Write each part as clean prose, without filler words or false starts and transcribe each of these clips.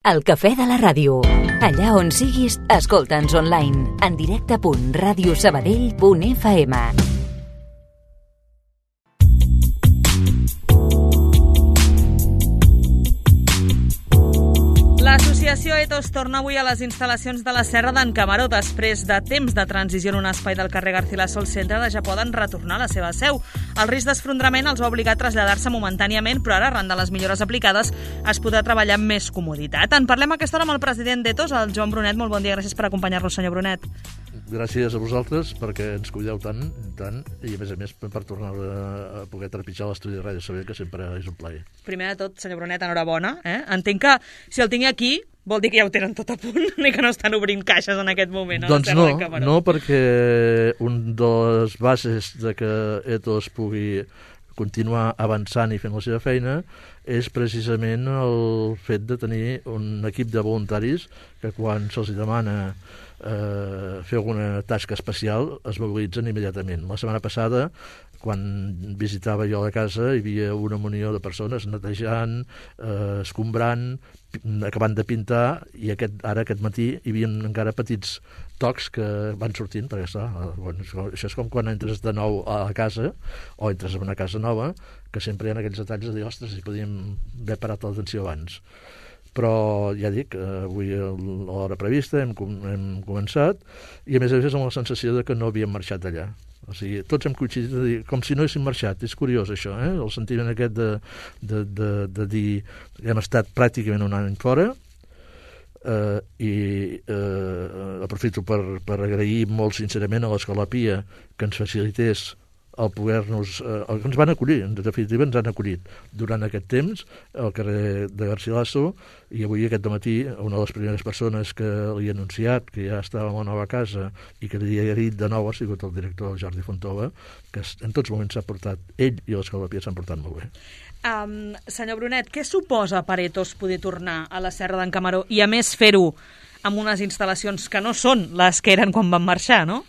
El cafè de la ràdio. Allà on siguis, escolta'ns online. En directe.radiosabadell.fm. L'associació Ethos torna avui a les instal·lacions de la Serra d'en Camaró. Després de temps de transició en un espai del carrer Garcilaso al centre, ja poden retornar a la seva seu. El risc d'esfondrament els va obligar a traslladar-se momentàniament, però ara, arran de les millores aplicades, es podrà treballar amb més comoditat. En parlem a aquesta hora amb el president d'Ethos, el Joan Brunet. Molt bon dia, gràcies per acompanyar-nos, senyor Brunet. Gràcies a vosaltres perquè ens cuideu tant, i a més per tornar a poder trepitjar l'estudi de Ràdio Sabadell, que sempre és un plaer. Primer de tot, senyor Brunet, enhorabona. Entenc que si el tinc aquí vol dir que ja ho tenen tot a punt i que no estan obrint caixes en aquest moment. Doncs no, perquè un de les bases de que Ethos pugui continuar avançant i fent la seva feina és precisament el fet de tenir un equip de voluntaris que quan se'ls demana fer alguna tasca especial es mobilitzen immediatament. La setmana passada, quan visitava jo la casa, hi havia una munió de persones netejant, escombrant, acabant de pintar, i aquest matí hi havia encara petits tocs que van sortint, perquè això és com quan entres de nou a la casa o entres en una casa nova, que sempre hi ha aquells detalls de dir, ostres, si podíem haver parat l'atenció abans. Però ja dic, avui a l'hora prevista hem començat, i a més amb la sensació de que no havíem marxat d'allà. O sigui, tots hem coincidit de dir, com si no haguéssim marxat. És curiós això, el sentiment aquest de dir que hem estat pràcticament un any fora, i aprofito per agrair molt sincerament a l'Escola Pia que ens facilités el poder-nos... que ens van acollir, en definitiva ens han acollit durant aquest temps al carrer de Garcilaso, i avui aquest dematí una de les primeres persones que li he anunciat que ja estava a la nova casa i que li he dit de nou ha sigut el director Jordi Fontova, que en tots moments s'ha portat, ell i l'Escola Pia s'han portat molt bé. Senyor Brunet, què suposa per Ethos poder tornar a la Serra d'en Camaró i a més fer-ho amb unes instal·lacions que no són les que eren quan van marxar, no?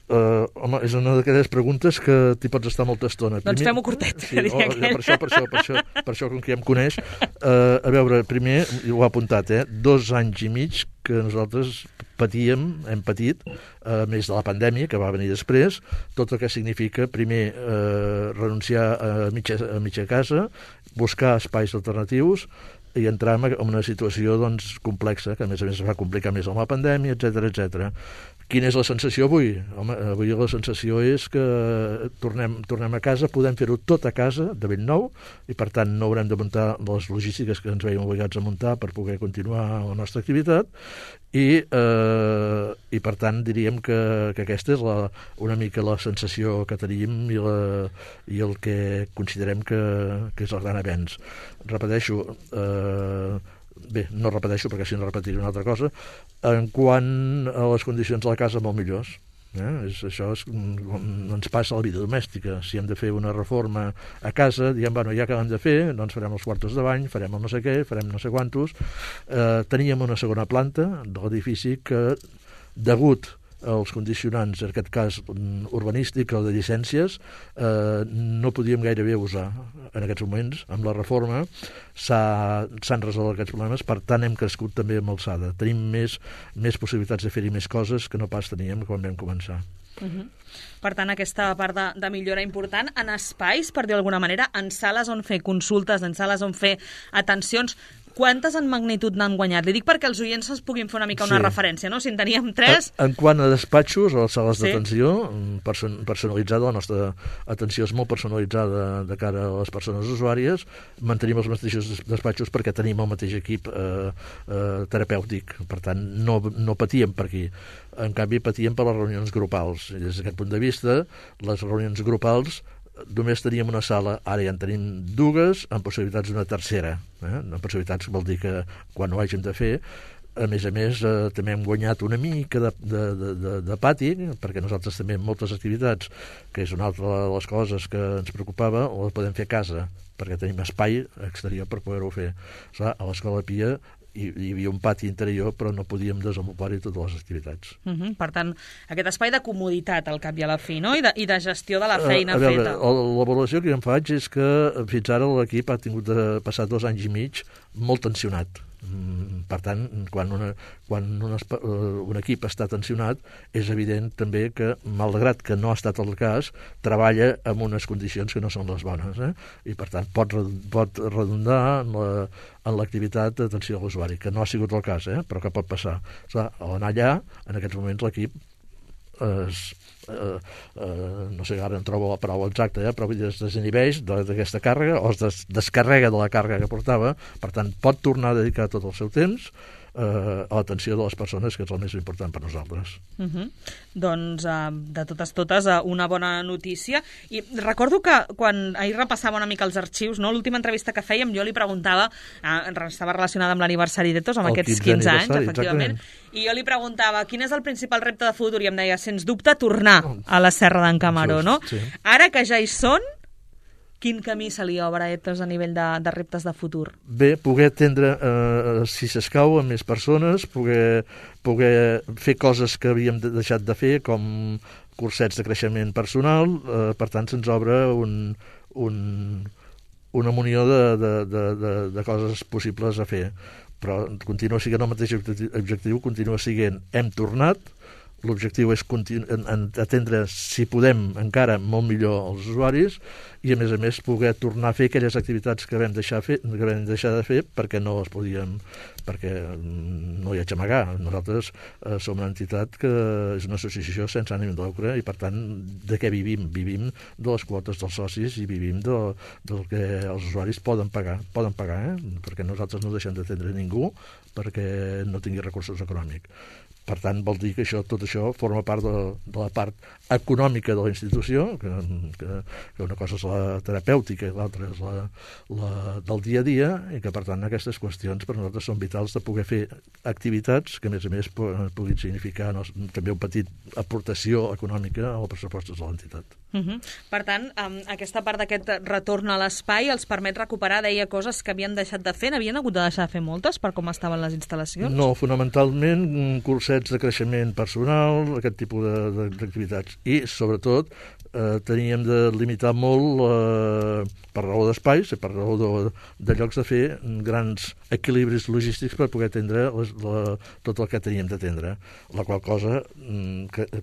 Home, és una d'aquelles preguntes que t'hi pots estar molta estona. Doncs fem-ho curtet. Sí, per això, com que ja em coneix. A veure, primer, ho ha apuntat, 2 anys i mig que nosaltres hem patit, més de la pandèmia, que va venir després, tot el que significa, primer, renunciar a mitja casa, buscar espais alternatius, i entrar en una situació complexa, que a més es va complicar més amb la pandèmia, etc. Quina és la sensació avui? Home, avui la sensació és que tornem a casa, podem fer-ho tot a casa, de ben nou, i per tant no haurem de muntar les logístiques que ens veiem obligats a muntar per poder continuar la nostra activitat, i per tant diríem que aquesta és una mica la sensació que tenim i el que considerem que és el gran avenç. Repeteixo, no repeteixo perquè si no repetiré una altra cosa, en quant a les condicions de la casa molt millors. Això ens passa a la vida domèstica. Si hem de fer una reforma a casa, diem, ja que l'hem de fer, doncs farem els quartos de bany, farem el no sé què, farem no sé quantos. Teníem una segona planta de l'edifici que, degut als condicionants, en aquest cas urbanístic o de llicències, no podíem gairebé usar. En aquests moments, amb la reforma, s'han resolt aquests problemes, per tant hem crescut també amb alçada. Tenim més possibilitats de fer-hi més coses que no pas teníem quan vam començar. Per tant, aquesta part de millora important en espais, per dir d'alguna manera, en sales on fer consultes, en sales on fer atencions. Quantes en magnitud n'han guanyat? Li dic perquè els oients es puguin fer una mica una referència, no? Si en teníem 3... En quant a despatxos o sales d'atenció, personalitzada, la nostra atenció és molt personalitzada de cara a les persones usuàries, mantenim els mateixos despatxos perquè tenim el mateix equip terapèutic, per tant no patíem per aquí. En canvi patíem per les reunions grupals. Des d'aquest punt de vista, les reunions grupals només teníem una sala, ara ja en tenim 2, amb possibilitats d'una tercera. Amb possibilitats vol dir que quan ho hàgim de fer, a més, també hem guanyat una mica de pati, perquè nosaltres també en moltes activitats, que és una altra de les coses que ens preocupava, les podem fer a casa, perquè tenim espai exterior per poder-ho fer. A l'Escola Pia hi havia un pati interior, però no podíem desenvolupar-hi totes les activitats. Per tant, aquest espai de comoditat al cap i a la fi, no? I de gestió de la feina feta. La valoració que jo em faig és que fins ara l'equip ha tingut de passar 2 anys i mig molt tensionat. Per tant, quan un equip està tensionat, és evident també que, malgrat que no ha estat el cas, treballa en unes condicions que no són les bones, i per tant pot redundar en l'activitat d'atenció a l'usuari, que no ha sigut el cas, però que pot passar. Clar, a l'anar allà, en aquests moments l'equip no sé, ara en trobo la paraula exacta, però es desinhibeix d'aquesta càrrega o es descarrega de la càrrega que portava, per tant pot tornar a dedicar tot el seu temps a l'atenció de les persones, que és el més important per nosaltres. Doncs, de totes, una bona notícia. I recordo que quan ahir repassava una mica els arxius, no? L'última entrevista que fèiem, jo li preguntava, estava relacionada amb l'aniversari d'Etos, amb aquests 15 anys, efectivament, i jo li preguntava quin és el principal repte de futur, i em deia, sens dubte, tornar a la Serra d'en Camaró, no? Sí. Ara que ja hi són, quin camí se li obre a Etos a nivell de reptes de futur? Bé, poder atendre, si s'escau, a més persones, poder fer coses que havíem deixat de fer, com cursets de creixement personal, per tant se'ns obre una munió de coses possibles a fer. Però continua sent el mateix objectiu, continua sent hem tornat. L'objectiu és atendre, si podem, encara molt millor els usuaris i, a més, poder tornar a fer aquelles activitats que vam deixar de fer perquè no les podíem, perquè no hi ha a amagar. Nosaltres som una entitat que és una associació sense ànim de lucre i, per tant, de què vivim? Vivim de les quotes dels socis i vivim del que els usuaris poden pagar, perquè nosaltres no deixem d'atendre ningú perquè no tingui recursos econòmics. Per tant, vol dir que tot això forma part de la part econòmica de la institució, que una cosa és la terapèutica i l'altra és la del dia a dia, i que, per tant, aquestes qüestions per nosaltres són vitals de poder fer activitats que, a més, puguin significar també una petita aportació econòmica als pressupostos de l'entitat. Per tant, aquesta part d'aquest retorn a l'espai els permet recuperar, deia, coses que havien deixat de fer. N'havien hagut de deixar de fer moltes per com estaven les instal·lacions? No, fonamentalment cursets de creixement personal, aquest tipus d'activitats. I, sobretot, teníem de limitar molt, per raó d'espais, per raó de llocs de fer, grans equilibris logístics per poder atendre tot el que teníem d'atendre, la qual cosa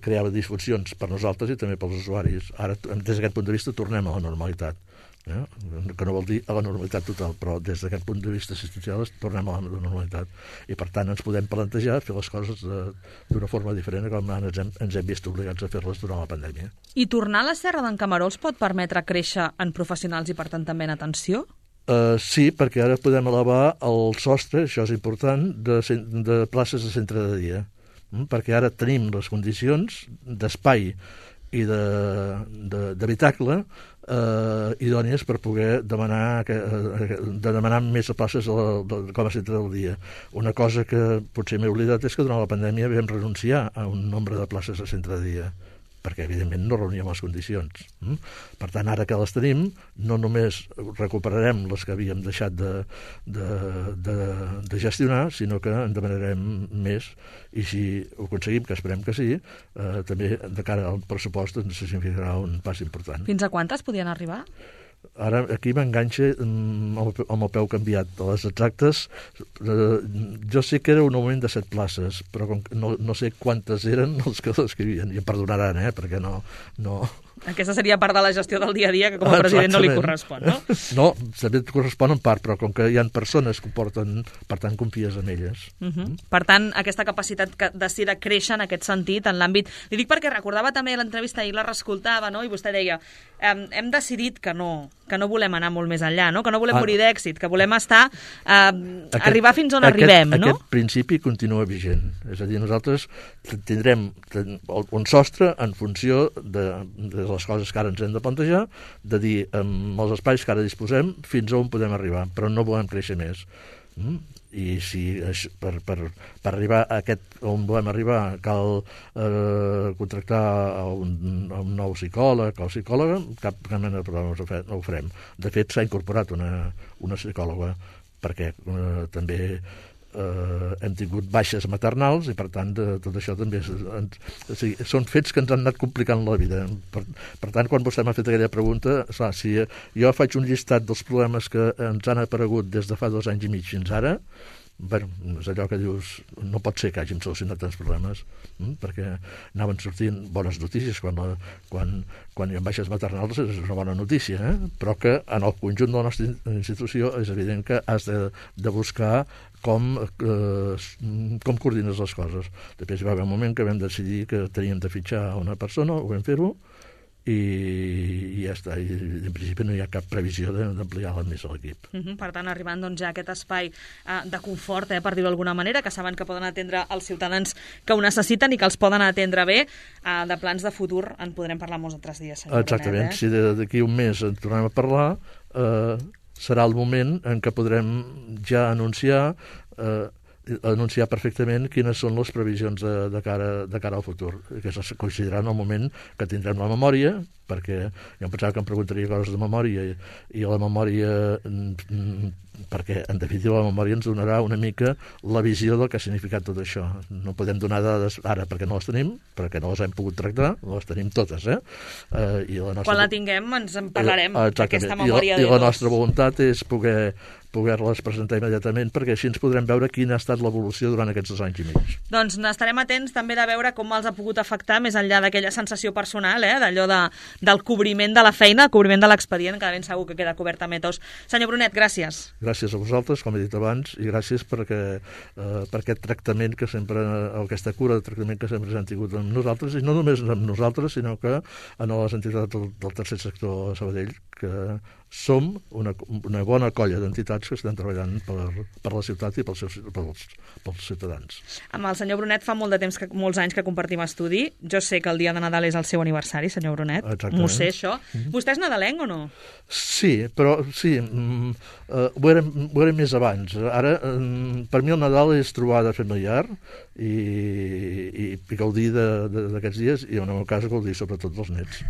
creava disfuncions per nosaltres i també pels usuaris. Ara, des d'aquest punt de vista, tornem a la normalitat. Que no vol dir a la normalitat total, però des d'aquest punt de vista assistencial tornem a la normalitat. I, per tant, ens podem plantejar fer les coses d'una forma diferent com ens hem vist obligats a fer-les durant la pandèmia. I tornar a la Serra d'en Camaró els pot permetre créixer en professionals i, per tant, també en atenció? Sí, perquè ara podem elevar el sostre, això és important, de places de centre de dia. Perquè ara tenim les condicions d'espai i d'habitacle idònies per poder demanar més places com a centre del dia. Una cosa que potser m'he oblidat és que durant la pandèmia vam renunciar a un nombre de places a centre de dia, perquè evidentment no reuníem les condicions. Per tant, ara que les tenim, no només recuperarem les que havíem deixat de gestionar, sinó que en demanarem més, i si ho aconseguim, que esperem que sí, també de cara al pressupost ens significarà un pas important. Fins a quantes podien arribar? Ara aquí m'enganxa amb el peu canviat. A les exactes, jo sé que era un augment de 7 places, però no sé quantes eren els que l'escrivien. I em perdonaran, perquè no... Aquesta seria part de la gestió del dia a dia, que com a president no li correspon, no? No, també et correspon en part, però com que hi ha persones que ho porten, per tant, confies en elles. Per tant, aquesta capacitat de créixer en aquest sentit, en l'àmbit... Li dic perquè recordava també l'entrevista, ahir la reescoltava, no? I vostè deia, hem decidit que no volem anar molt més enllà, no? Que no volem morir d'èxit, que volem estar... arribar fins on arribem, no? Aquest principi continua vigent. És a dir, nosaltres tindrem un sostre en funció de les coses que ara ens hem de plantejar, de dir amb els espais que ara disposem fins on podem arribar, però no volem créixer més. I si per arribar a on volem arribar cal contractar un nou psicòleg o psicòloga, cap mena de problema no ho farem. De fet, s'ha incorporat una psicòloga perquè també hem tingut baixes maternals i per tant tot això també són fets que ens han anat complicant la vida. Per tant, quan vostè m'ha fet aquella pregunta, clar, si jo faig un llistat dels problemes que ens han aparegut des de fa 2 anys i mig fins ara, bueno, és allò que dius, no pot ser que hàgim solucionat tants problemes, perquè anaven sortint bones notícies quan hi ha baixes maternals, és una bona notícia, però que en el conjunt de la nostra institució és evident que has de buscar com coordines les coses. Després va haver un moment que vam decidir que teníem de fitxar una persona, ho vam fer-ho, i ja està, i en principi no hi ha cap previsió d'ampliar més l'equip. Per tant, arribant doncs, ja a aquest espai de confort, per dir-ho d'alguna manera, que saben que poden atendre els ciutadans que ho necessiten i que els poden atendre bé, de plans de futur en podrem parlar molts altres dies, senyor Exactament, Brunet. si d'aquí un mes en tornem a parlar, serà el moment en què podrem ja anunciar perfectament quines són les previsions de cara al futur, que es consideraran el moment que tindrem la memòria, perquè jo em pensava que em preguntaria coses de memòria i la memòria, perquè en definitiva la memòria ens donarà una mica la visió del que ha significat tot això. No podem donar dades ara perquè no les tenim, perquè no les hem pogut tractar, les tenim totes, Quan la tinguem ens en parlarem d'aquesta memòria. I la nostra voluntat és poder-les presentar immediatament, perquè així ens podrem veure quina ha estat l'evolució durant aquests 2 anys i mig. Doncs n'estarem atents també de veure com els ha pogut afectar, més enllà d'aquella sensació personal, d'allò del cobriment de la feina, el cobriment de l'expedient, que de ben segur que queda cobert amb ETOs. Senyor Brunet, gràcies. Gràcies a vosaltres, com he dit abans, i gràcies per aquest tractament que sempre, aquesta cura de tractament que sempre s'han tingut amb nosaltres, i no només amb nosaltres, sinó que en les entitats del tercer sector a Sabadell, que som una bona colla d'entitats que estan treballant per la ciutat i pels ciutadans. Amb el senyor Brunet fa molts anys que compartim estudi. Jo sé que el dia de Nadal és el seu aniversari, senyor Brunet. Exactament. M'ho sé, això. Vostè és nadalenc o no? Sí, però sí, ho era més abans. Ara, per mi el Nadal és trobada familiar i gaudir d'aquests dies, i en el meu cas gaudir sobretot dels nets.